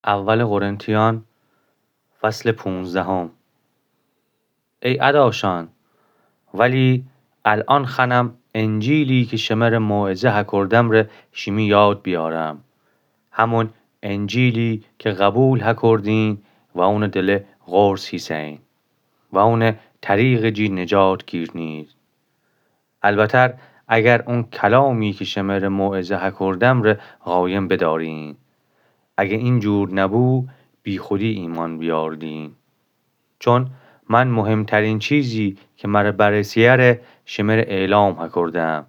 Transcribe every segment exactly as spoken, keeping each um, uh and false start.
اول قرنتیان، فصل پونزدهم. ای اداشان، ولی الأن خوأنم انجیلی کی شمر موعظه هکردمره شیمی یاد بیارم، همون انجیلی کی قبول هکردین و اونٚ دله قرص هیسه‌ین و اونٚ طریقٚ جی نجات گیرنید. البتر اگر اون کلامی کی شمر موعظه هکردمره قایم بدارین. اگه اینجور نبو، بیخودی ایمأن بیاردین. چون من مهمترین چیزی کی مره برسه‌یه ره شمره اعلام هکردم،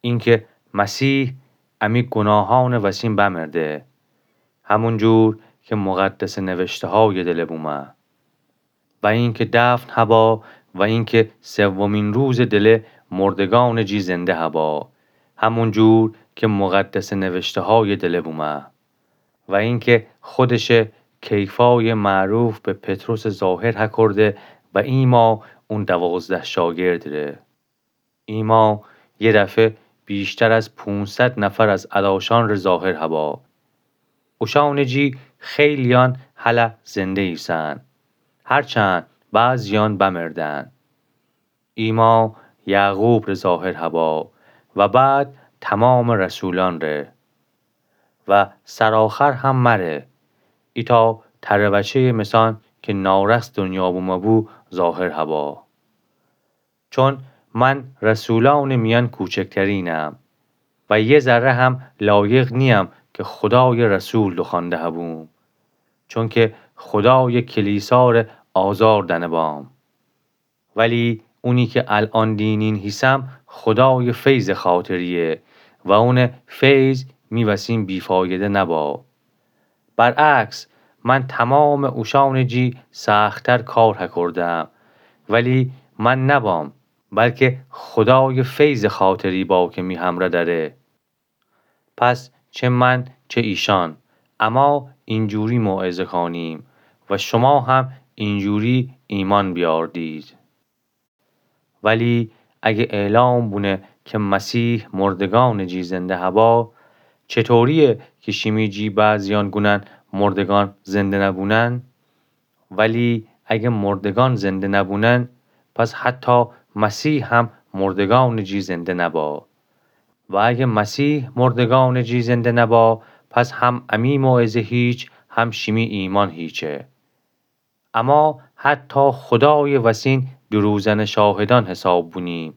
اینکه مسیح امی گوناهأنٚ وسین بمرده، همونجور کی مقدسٚ نوشته‌هایٚ دله بومه. و اینکه دفن هبا و اینکه سومین روزٚ دله مردگأنٚ جی زنده هبا، همونجور کی مقدسٚ نوشته‌هایٚ دله بومه. و اینکه خودشه کیفایٚ معروف به پطرسٚ ظاهر هکرده و ایمأ اون دوازده شاگردٚ ره. ایمأ یه دفعه بیشتر از پونصد نفر از اداشأنٚ ره ظاهر هبا. اوشأنٚ جی خیلیأن هلأ زنده ایسن، هرچند بعضیأن بمردن. ایمأ یعقوبٚ ره ظاهر هبا و بعد تومامٚ رسولأنٚ ره و سرآخر هم مره، ایتأ تره بچه‌یٚ مثأن کی نارس دنیا بومه بو ظاهر هبا. چون من رسولأنٚ میأن کوچکترینم و یه ذره هم لایق نییم کی خودایٚ رسول دوخوأنده هبوم، چونکه خودایٚ کلیسا ره آزار دأنه بام. ولی اونی کی الأن دینین هیسم خودایٚ فیضٚ خاطریه و اونٚ فیض می وسین بی‌فایده نبا. برعکس، من تومامٚ اوشأنٚ جی سخت‌تر کار هکردم، ولی من نبام، بلکه خودایٚ فیضٚ خاطری با کی می همره دأره. پس چه من چه ایشأن، اما اینجوری موعظه کانیم و شما هم اینجوری ایمأن بیاردید. ولی اگه اعلام بونه کی مسیح مردگأنٚ جی زنده هبا، چطوریه کی شیمی جی بعضیأن گونن مردگأن زنده نبونن؟ ولی اگه مردگأن زنده نبونن، پس حتی مسیح هم مردگأنٚ جی زنده نبا. و اگه مسیح مردگأنٚ جی زنده نبا، پس هم امی موعظه هیچ، هم شیمی ایمأن هیچه. اما حتی خودایٚ وسین دروغ‌زنٚ شاهدأن حساب بونیم،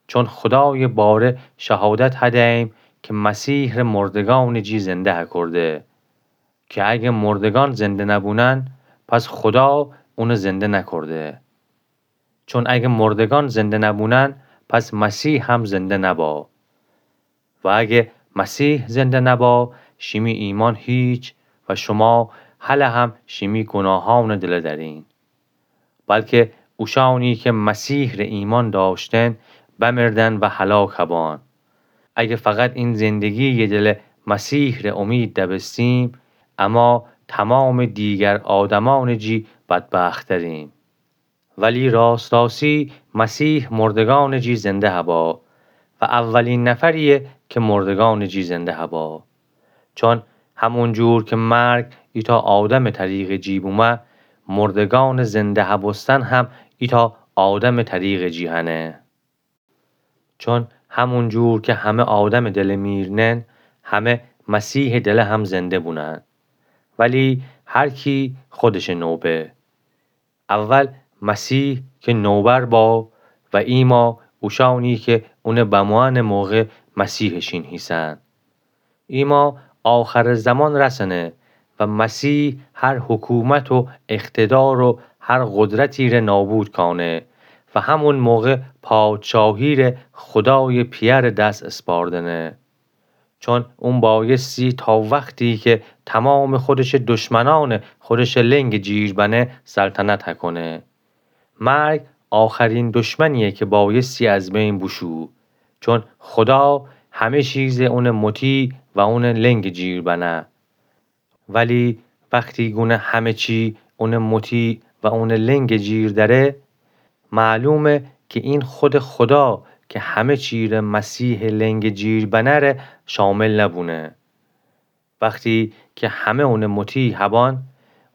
چون خودایٚ باره شهادت هده‌ییم کی مسیح ره مردگأنٚ جی زنده هکرده، کی اگه مردگأن زنده نبونن، پس خودا اونه زنده نکرده. چون اگه مردگأن زنده نبونن، پس مسیح هم زنده نبا. و اگه مسیح زنده نبا، شیمی ایمأن هیچ و شما هله هم شیمی گوناهأنٚ دله دأرین. بلکه اوشأنی کی مسیح ره ایمأن دأشتن، بمردن و هلاک هبان. اگه فقط این زندگییٚ دله مسیح ره امید دبستیم، اما تومامٚ دیگر آدمأنٚ جی بدبخت‌تریم. ولی راست‌راستی مسیح مردگأنٚ جی زنده هبا و اولین نفرییه کی مردگأنٚ جی زنده هبا. چون همونجور کی مرگ ایتأ آدمٚ طریقٚ جی بومه، مردگأنٚ زنده هبوستن هم ایتأ آدمٚ طریقٚ جی هنه. چون همونجور کی همه آدمٚ دله میرنن، همه مسیحٚ دله هم زنده بونن. ولی هر کی خودشٚ نوبه. اول مسیح کی نوبر با و ایما اوشأنی کی اونٚ بموأنٚ موقع مسیحٚ شین هیسن. ایما آخرٚ زمان رسنه و مسیح هر حکومت و اقتدار و هر قدرتی ره نابود کانه و همون موقع پادشاهی ره خودایٚ پیأرٚ دس اسپاردنه. چون اون بایستی تا وختی کی تومامٚ خودشٚ دشمنأن خودشٚ لنگٚ جیر بنه سلطنت هکنه. مرگ آخرین دشمنییه کی بایستی از بین بوشو، چون خودا همه چیز اونٚ مطیع و اونٚ لنگٚ جیر بنه. ولی وختی گونه همه چی اونٚ مطیع و اونٚ لنگٚ جیر دأره، معلومه کی این خودٚ خودا کی همه چی ره مسیحٚ لنگٚ جیر بنه ره شامل نبونه. وختی که همه اونٚ مطیع هبان،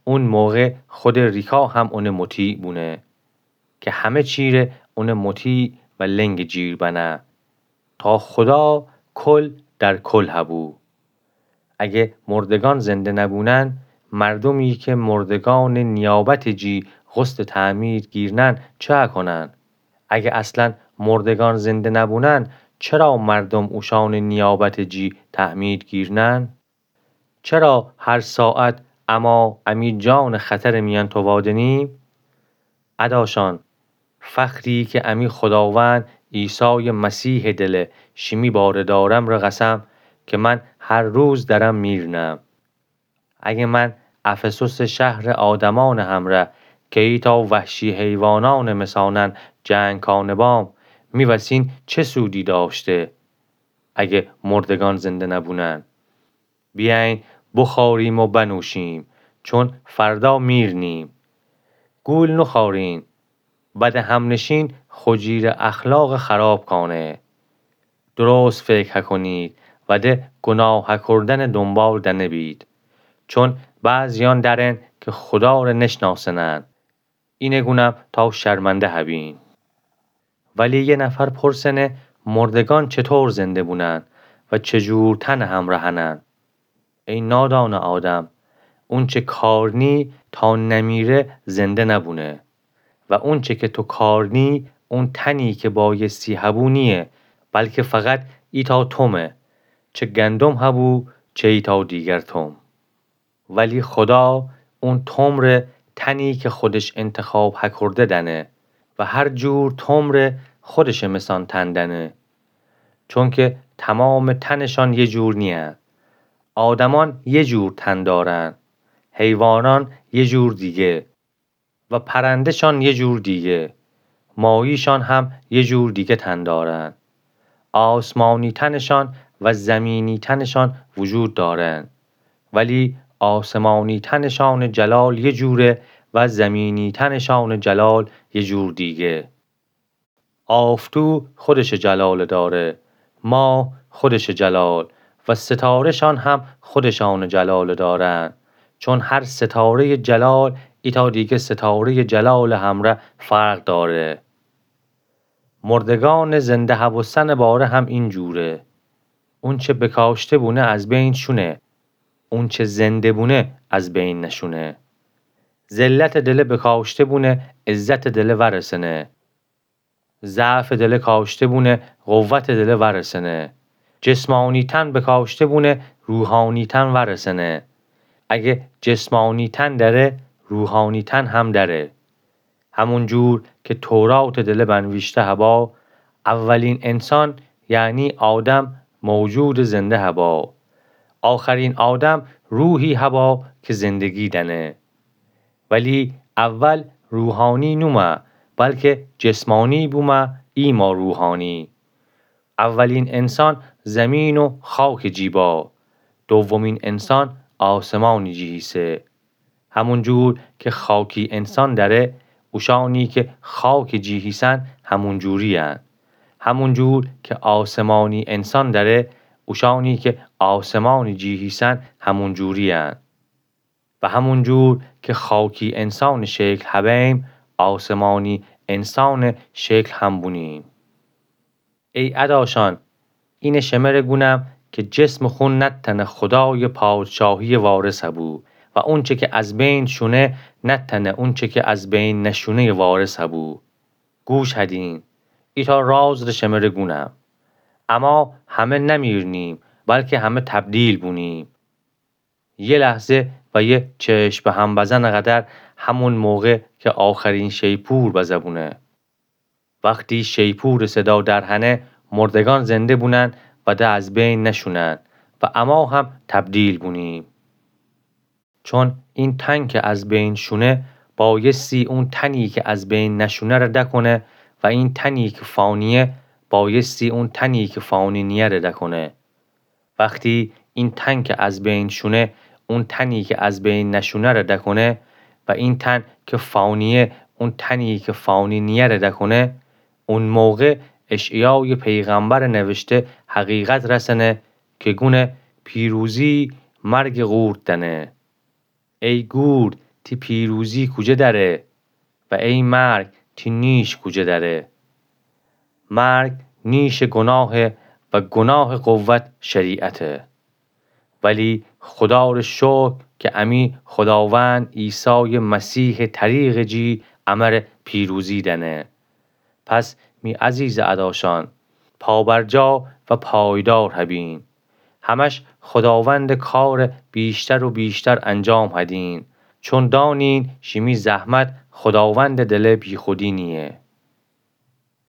اون موقع خودٚ ریکا هم اونٚ مطیع بونه. که همه چیره اونٚ مطیع و لنگٚ جیر بنه، تا خودا کل در کل هبو. اگه مردگان زنده نبونن، مردومی که مردگانٚ نیابتٚ جی غسلٚ تعمید گیرنن، چه کنن؟ اگه اصلاً مردگان زنده نبونن، چرا مردوم اوشانٚ نیابتٚ جی تعمید گیرنن؟ چرا هر ساعت اما امی جانٚ خطرٚ میأن تووادنیم؟ اداشان، فخری که امی خوداوند عیسایٚ مسیحٚ دله شیمی باره دارم ره قسم، که من هر روز درم میرنم. اگه من افسوسٚ شهرٚ آدمانٚ همره که ایتا وحشی حیوانانٚ مثانن جنگ کانه بام، می وسین چه سودی داشته؟ اگه مردگان زنده نبونن. بیأیین بخوریم و بنوشیم، چون فردا میرنیم. گول نخورین، بد همنشین خو جیرٚ اخلاقٚ خراب کانه. درست فکر هکنید و ده گناه هکردنٚ دنبال دنبید. چون بعضیان دأرن که خودا ره نشناسنن. اینه گونم تا شرمنده هبین. ولی یه نفر پرسنه مردگان چطور زنده بونن و چه جور تنٚ همره هنن؟ ای نادانٚ آدم، اونچه کار نی تا نمیره زنده نبونه. و اونچه که تو کار نی، اون تنی که بایستی هبو نییه، بلکه فقط ایتا تومه، چه گندم هبو، چه ایتا دیگر توم. ولی خودا اون توم ره تنی که خودش انتخاب هکرده دنه و هر جور توم ره خودشٚ مثان تن دنه. چونکه تمامٚ تنشان یه جور نییه. آدمان یه جور تن دارن، حیوانان یه جور دیگه و پرنده‌شان یه جور دیگه، ماهی‌شان هم یه جور دیگه تن دارن. آسمانی تنشان و زمینی تنشان وجود دارن، ولی آسمانی تنشانٚ جلال یه جوره و زمینی تنشانٚ جلال یه جور دیگه. آفتو خودشٚ جلال داره، ماه خودشٚ جلال و ستاره‌شان هم خودشانٚ جلال دارن، چون هر ستاره‌یٚ جلال ایتا دیگه ستاره‌یٚ جلالٚ همره فرق داره. مردگانٚ زنده هبوستنٚ باره هم این جوره. اونچه بکاشته بونه از بین شونه، اونچه زنده بونه از بین نشونه. ذلتٚ دله بکاشته بونه عزتٚ دله ورسنه. ضعفٚ دله کاشته بونه قوتٚ دله ورسنه. جسمانی تن بکاشته بونه روحانی تن ورسنه. اگه جسمانی تن دره، روحانی تن هم دره. همون جور که توراتٚ دله بنویشته هبا، اولین انسان، یعنی آدم، موجودٚ زنده هبا. آخرین آدم روحی هبا که زندگی دنه. ولی اول روحانی نومه، بلکه جسمانی بومه، ایما روحانی. اولین انسان زمین و خاکٚ جی با، دومین انسان آسمانٚ جی هیسه. همون جور که خاکی انسان دره، اوشانی که خاکٚ جی هیسن همون جوری‌ین. همون جور که آسمانی انسان دره، اوشانی که آسمانٚ جی هیسن همون جوری‌ین. و همون جور که خاکی انسانٚ شکل هبیم، آسمانی انسانٚ شکل هم بونیم. ای اداشان، اینه شمره گونم که جسمٚ خون نتأنه خودایٚ پادشاهی‌یٚ وارث هبو و اونچه که از بین شونه نتأنه اونچه که از بین نشونه‌یٚ وارث هبو. گوش هدین، ایتا راز ره شمره گونم. اما همه نمیرنیم، بلکه همه تبدیل بونیم. یه لحظه و یه چشم به هم بزن قدر، همون موقع که آخرین شیپور بزه بونه. وقتی شیپورٚ صدا درهنه، مردگان زنده بونن و ده از بین نشونن و اما هم تبدیل بونیم. چون این تن که از بین شونه، بایستی اون تنی که از بین نشونه ره دکنه و این تنی که فانیه، بایستی اون تنی که فانی نیه ره دکنه. وقتی این تن که از بین شونه، اون تنی که از بین نشونه ره دکنه و این تن که فانیه، اون تنی که فانی نیه ره دکنه، اون موقع اشعیایٚ پیغمبرٚ نوشته حقیقت رسنه که گونه پیروزی مرگٚ قورت دأنه. ای گور، تی پیروزی کوجه دأره؟ و ای مرگ، تی نیش کوجه دأره؟ مرگ نیشٚ گوناهه و گوناهٚ قوت شریعته. ولی خودارٚ شکر که امی خوداوند عیسایٚ مسیحٚ طریقٚ جی امر پیروزی دأنه. پس می عزیزٚ اداشأن، پابرجا و پایدار هبین. همش خوداوندٚ کارٚ بیشتر و بیشتر انجام هدین، چون دانین شیمی زحمت خوداوندٚ دلٚ بیخودی نییه.